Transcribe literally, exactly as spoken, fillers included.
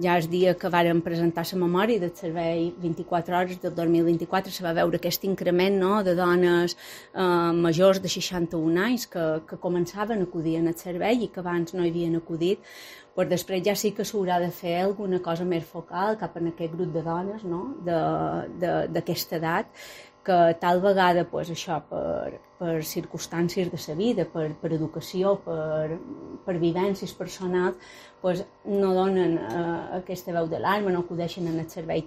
ja el dia que vàrem presentar la memòria del servei vint-i-quatre hores del dos mil vint-i-quatre se va veure aquest increment, no?, de dones eh, majors de seixanta-un anys que, que començaven a acudir al servei i que abans no hi havien acudit. Pues després ja sí que s'haurà de fer alguna cosa més focal cap en aquest grup de dones, no?, d'aquesta edat, que tal vegada pues, això per, per circumstàncies de la vida, per, per educació, per, per vivències personals, pues, no donen eh, aquesta veu d'alarma, no acudeixen en el servei